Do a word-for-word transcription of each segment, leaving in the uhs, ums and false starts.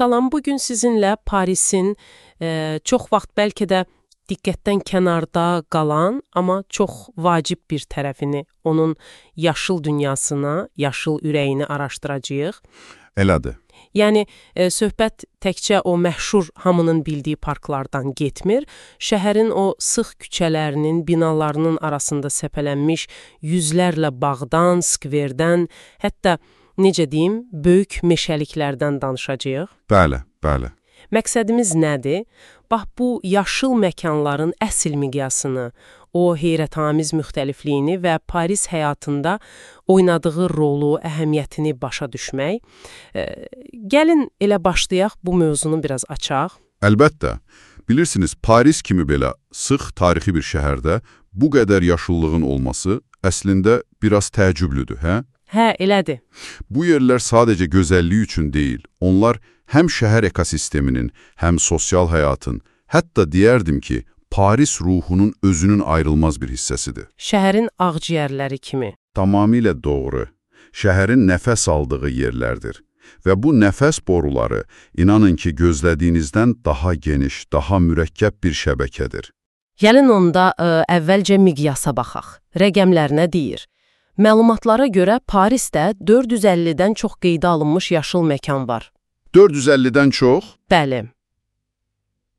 Salam, bugün sizinlə Parisin e, çox vaxt bəlkə də diqqətdən kənarda qalan, amma çox vacib bir tərəfini, onun yaşıl dünyasına, yaşıl ürəyini araşdıracağıq. Elədir. Yəni, e, söhbət təkcə o məşhur hamının bildiyi parklardan getmir, şəhərin o sıx küçələrinin, binalarının arasında səpələnmiş yüzlərlə bağdan, skverdən, hətta necə deyim, böyük meşəliklərdən danışacağıq. Bəli, bəli. Məqsədimiz nədir? Bax, bu yaşıl məkanların əsl miqyasını, o heyrətamiz müxtəlifliyini və Paris həyatında oynadığı rolu, əhəmiyyətini başa düşmək. E, gəlin elə başlayaq, bu mövzunu biraz açaq. Əlbəttə. Bilirsiniz, Paris kimi belə sıx tarixi bir şəhərdə bu qədər yaşıllığın olması əslində biraz təəccüblüdür, hə? Hə, elədir. Bu yerlər sadəcə gözəlliyi üçün deyil, onlar həm şəhər ekosisteminin, həm sosial həyatın, hətta deyərdim ki, Paris ruhunun özünün ayrılmaz bir hissəsidir. Şəhərin ağciyərləri kimi. Tamamilə doğru. Şəhərin nəfəs aldığı yerlərdir. Və bu nəfəs boruları, inanın ki, gözlədiyinizdən daha geniş, daha mürəkkəb bir şəbəkədir. Gəlin onda ə, əvvəlcə miqyasa baxaq. Rəqəmlər nə deyir? Məlumatlara görə Parisdə dörd yüz əllidən çox qeydə alınmış yaşıl məkan var. dörd yüz əllidən çox? Bəli.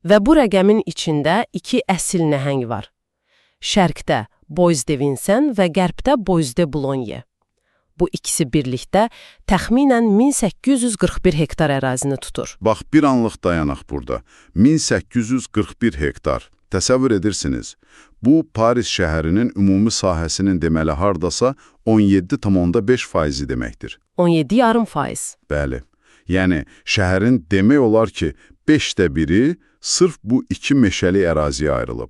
Və bu rəqəmin içində iki əsl nəhəng var. Şərqdə Bois de Vincennes və qərbdə Bois de Boulogne. Bu ikisi birlikdə təxminən min səkkiz yüz qırx bir hektar ərazini tutur. Bax, bir anlıq dayanaq burada. min səkkiz yüz qırx bir hektar. Təsəvvür edirsiniz, bu Paris şəhərinin ümumi sahəsinin deməli hardasa on yeddi tam beş faizi deməkdir. on yeddi yarım faiz. Bəli. Yəni, şəhərin demək olar ki, beşdə biri sırf bu iki meşəli əraziyə ayrılıb.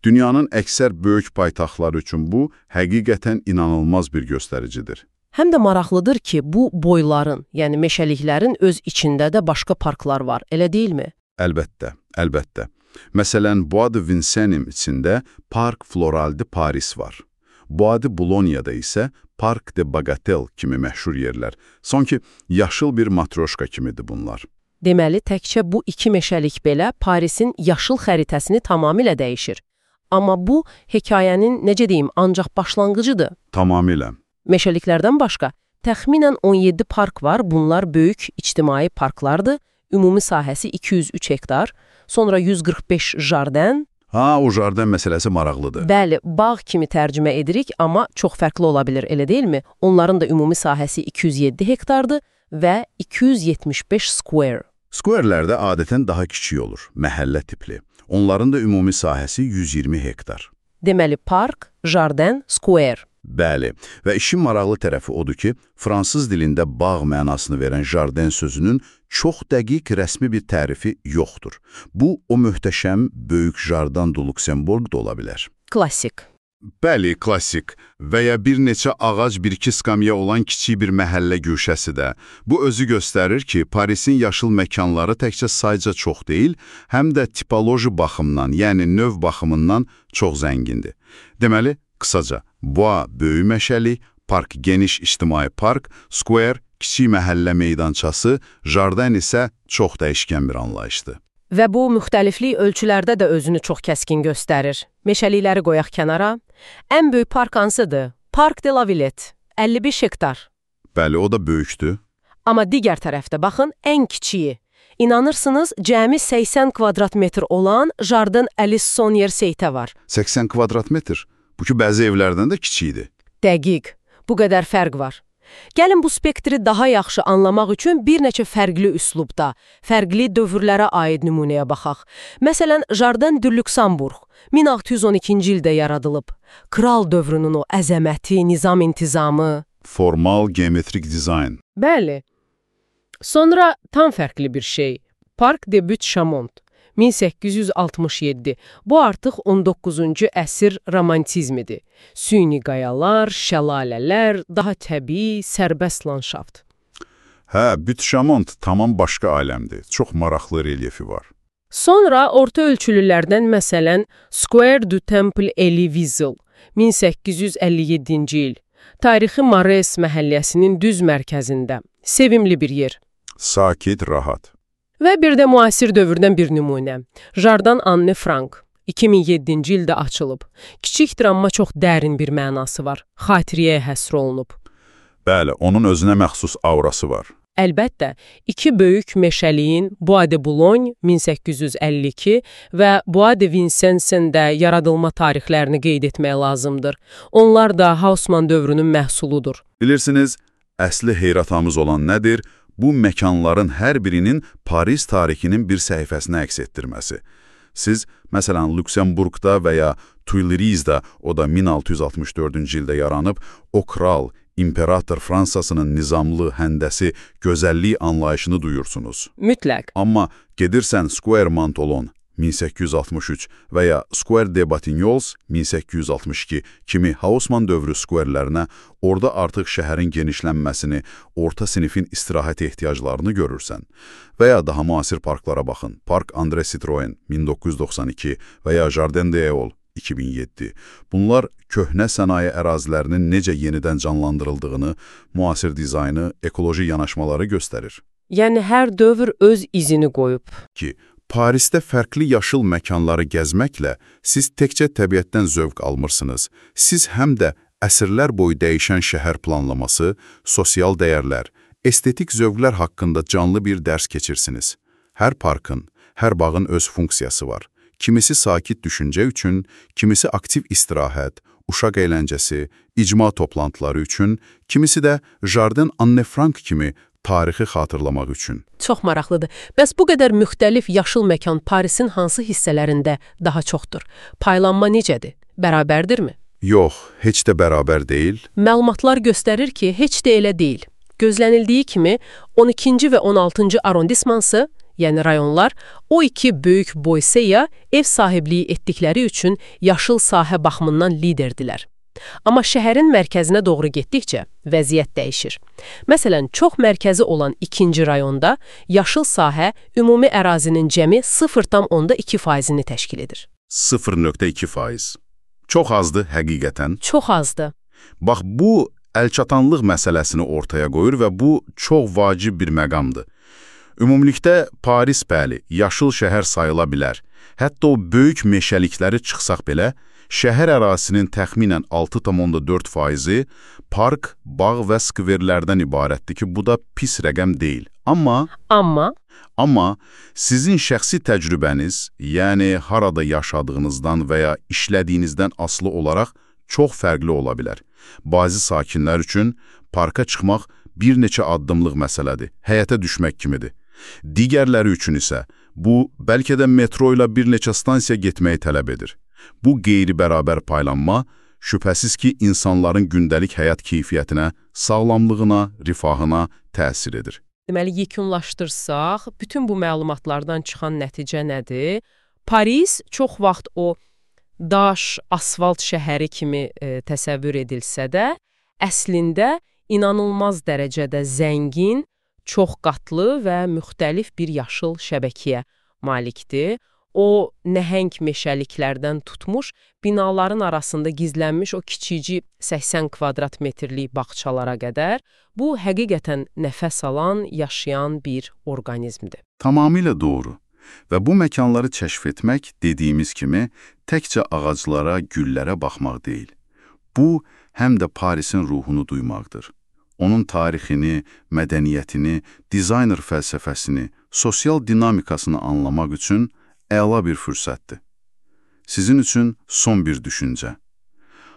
Dünyanın əksər böyük paytaxtları üçün bu həqiqətən inanılmaz bir göstəricidir. Həm də maraqlıdır ki, bu boyların, yəni meşəliklərin öz içində də başqa parklar var, elə deyilmi? Əlbəttə, əlbəttə. Məsələn, Bois de Vincennes içində Park Floral de Paris var. Bois de Boulogne-da isə Park de Bagatelle kimi məşhur yerlər. Sanki yaşıl bir matroşka kimidir bunlar. Deməli, təkcə bu iki meşəlik belə Parisin yaşıl xəritəsini tamamilə dəyişir. Amma bu, hekayənin, necə deyim, ancaq başlanğıcıdır. Tamamilə. Meşəliklərdən başqa, təxminən on yeddi park var, bunlar böyük ictimai parklardır, ümumi sahəsi iki yüz üç hektar, sonra yüz qırx beş jardən. Ha, o jardən məsələsi maraqlıdır. Bəli, bağ kimi tərcümə edirik, amma çox fərqli ola bilir, elə deyilmi? Onların da ümumi sahəsi iki yüz yeddi hektardır və iki yüz yetmiş beş square. Square'lərdə adətən daha kiçik olur, məhəllə tipli. Onların da ümumi sahəsi yüz iyirmi hektar. Deməli, park, jardən, square. Bəli, və işin maraqlı tərəfi odur ki, fransız dilində bağ mənasını verən jardən sözünün çox dəqiq rəsmi bir tərifi yoxdur. Bu, o möhtəşəm böyük jardan du Luxembourg da ola bilər. Klassik. Bəli, klassik və ya bir neçə ağac bir-iki skamya olan kiçik bir məhəllə güşəsi də. Bu özü göstərir ki, Parisin yaşıl məkanları təkcə sayca çox deyil, həm də tipoloji baxımdan, yəni növ baxımından çox zəngindir. Deməli, qısaca, Bois böyük məşəli, park geniş ictimai park, square kiçik məhəllə meydançası, jardən isə çox dəyişkən bir anlayışdır. Və bu müxtəliflik ölçülərdə də özünü çox kəskin göstərir. Meşəlikləri qoyaq kənara. Ən böyük park hansıdır? Park de la Villette, əlli beş hektar. Bəli, o da böyükdür. Amma digər tərəfdə baxın, ən kiçiyi. İnanırsınız, cəmi səksən kvadrat metr olan Jardin Alice Sonnier Seytə var. səksən kvadrat metr? Bu ki, bəzi evlərdən də kiçikdir. Dəqiq. Bu qədər fərq var. Gəlin bu spektri daha yaxşı anlamaq üçün bir neçə fərqli üslubda, fərqli dövrlərə aid nümunəyə baxaq. Məsələn, Jardin du Luxembourg min altı yüz on ikinci ildə yaradılıb. Kral dövrünün o əzəməti, nizam intizamı. Formal, geometrik dizayn. Bəli. Sonra tam fərqli bir şey. Park de Butte-Chaumont. min səkkiz yüz altmış yeddi. Bu artıq on doqquzuncu əsr romantizmidir. Süni qayalar, şəlalələr, daha təbii, sərbəst landşaft. Hə, Butte-Chaumont tamam başqa aləmdir. Çox maraqlı relyefi var. Sonra orta ölçülülərdən məsələn Square du Temple Elie-Wiesel min səkkiz yüz əlli yeddinci il. Tarixi Marais məhəlləsinin düz mərkəzində. Sevimli bir yer. Sakit, rahat. Və bir də müasir dövrdən bir nümunə. Jardan Anne Frank. iki min yeddinci ildə açılıb. Kiçik travma çox dərin bir mənası var. Xatirəyə həsr olunub. Bəli, onun özünə məxsus aurası var. Əlbəttə, iki böyük meşəliyin Bois de Boulogne min səkkiz yüz əlli iki və Bois de Vincennes-in də yaradılma tarixlərini qeyd etmək lazımdır. Onlar da Haussmann dövrünün məhsuludur. Bilirsiniz, əsli heyratamız olan nədir? Bu məkanların hər birinin Paris tarixinin bir səhifəsini əks etdirməsi. Siz, məsələn, Lüksemburqda və ya Tuileries-də, o da min altı yüz altmış dördüncü ildə yaranıb, o kral, İmperator Fransasının nizamlı, həndəsi, gözəllik anlayışını duyursunuz. Mütləq. Amma gedirsən Square Mantolon min səkkiz yüz altmış üç və ya Square de Batignolles min səkkiz yüz altmış iki kimi Haussmann dövrü squarələrinə, orada artıq şəhərin genişlənməsini, orta sinifin istirahət ehtiyaclarını görürsən. Və ya daha müasir parklara baxın. Park André Citroën min doqquz yüz doxsan iki və ya Jardin des Halles iki min yeddi. Bunlar köhnə sənaye ərazilərinin necə yenidən canlandırıldığını, müasir dizaynı, ekoloji yanaşmaları göstərir. Yəni hər dövr öz izini qoyub. Ki, Parisdə fərqli yaşıl məkanları gəzməklə siz təkcə təbiətdən zövq almırsınız. Siz həm də əsrlər boyu dəyişən şəhər planlaması, sosial dəyərlər, estetik zövqlər haqqında canlı bir dərs keçirsiniz. Hər parkın, hər bağın öz funksiyası var. Kimisi sakit düşüncə üçün, kimisi aktiv istirahət, uşaq əyləncəsi, icma toplantıları üçün, kimisi də Jardin Anne Frank kimi tarixi xatırlamaq üçün. Çox maraqlıdır. Bəs bu qədər müxtəlif yaşıl məkan Parisin hansı hissələrində daha çoxdur? Paylanma necədir? Bərabərdirmi? Yox, heç də bərabər deyil. Məlumatlar göstərir ki, heç də elə deyil. Gözlənildiyi kimi on ikinci və on altıncı arrondismansı, yəni rayonlar, o iki böyük boyseya ev sahibliyi etdikləri üçün yaşıl sahə baxımından liderdirlər. Amma şəhərin mərkəzinə doğru getdikcə vəziyyət dəyişir. Məsələn, çox mərkəzi olan ikinci rayonda yaşıl sahə ümumi ərazinin cəmi sıfır tam onda iki faizini təşkil edir. sıfır nöqtə iki faiz. Çox azdır həqiqətən. Çox azdır. Bax, bu əlçatanlıq məsələsini ortaya qoyur və bu çox vacib bir məqamdır. Ümumilikdə Paris bəli, yaşıl şəhər sayıla bilər. Hətta o böyük meşəlikləri çıxsaq belə, şəhər ərazisinin təxminən altı tam onda dörd faizi park, bağ və skverlərdən ibarətdir ki, bu da pis rəqəm deyil. Amma, amma, amma sizin şəxsi təcrübəniz, yəni harada yaşadığınızdan və ya işlədiyinizdən asılı olaraq çox fərqli ola bilər. Bazı sakinlər üçün parka çıxmaq bir neçə addımlıq məsələdir, həyətə düşmək kimidir. Digərləri üçün isə bu, bəlkə də metro ilə bir neçə stansiya getməyi tələb edir. Bu qeyri-bərabər paylanma, şübhəsiz ki, insanların gündəlik həyat keyfiyyətinə, sağlamlığına, rifahına təsir edir. Deməli, yekunlaşdırsaq, bütün bu məlumatlardan çıxan nəticə nədir? Paris çox vaxt o daş, asfalt şəhəri kimi e, təsəvvür edilsə də, əslində inanılmaz dərəcədə zəngin, çox qatlı və müxtəlif bir yaşıl şəbəkəyə malikdir. O, nəhəng meşəliklərdən tutmuş, binaların arasında gizlənmiş o kiçicik səksən kvadrat metrlik bağçalara qədər, bu həqiqətən nəfəs alan, yaşayan bir orqanizmdir. Tamamilə doğru. Və bu məkanları kəşf etmək, dediyimiz kimi, təkcə ağaclara, güllərə baxmaq deyil. Bu, həm də Parisin ruhunu duymaqdır. Onun tarixini, mədəniyyətini, dizayner fəlsəfəsini, sosial dinamikasını anlamaq üçün əla bir fürsətdir. Sizin üçün son bir düşüncə.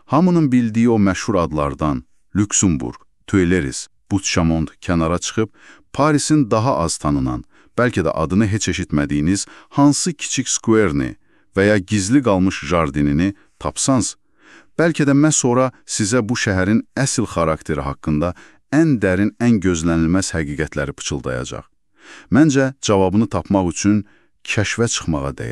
Hamının bildiyi o məşhur adlardan Lüksemburq, Tuileries, Butte-Chaumont kənara çıxıb, Parisin daha az tanınan, bəlkə də adını heç eşitmədiyiniz hansı kiçik skverini və ya gizli qalmış jardinini tapsanız, bəlkə də məhz sonra sizə bu şəhərin əsl xarakteri haqqında ən dərin, ən gözlənilməz həqiqətləri pıçıldayacaq. Məncə, cavabını tapmaq üçün kəşfə çıxmağa dəyər.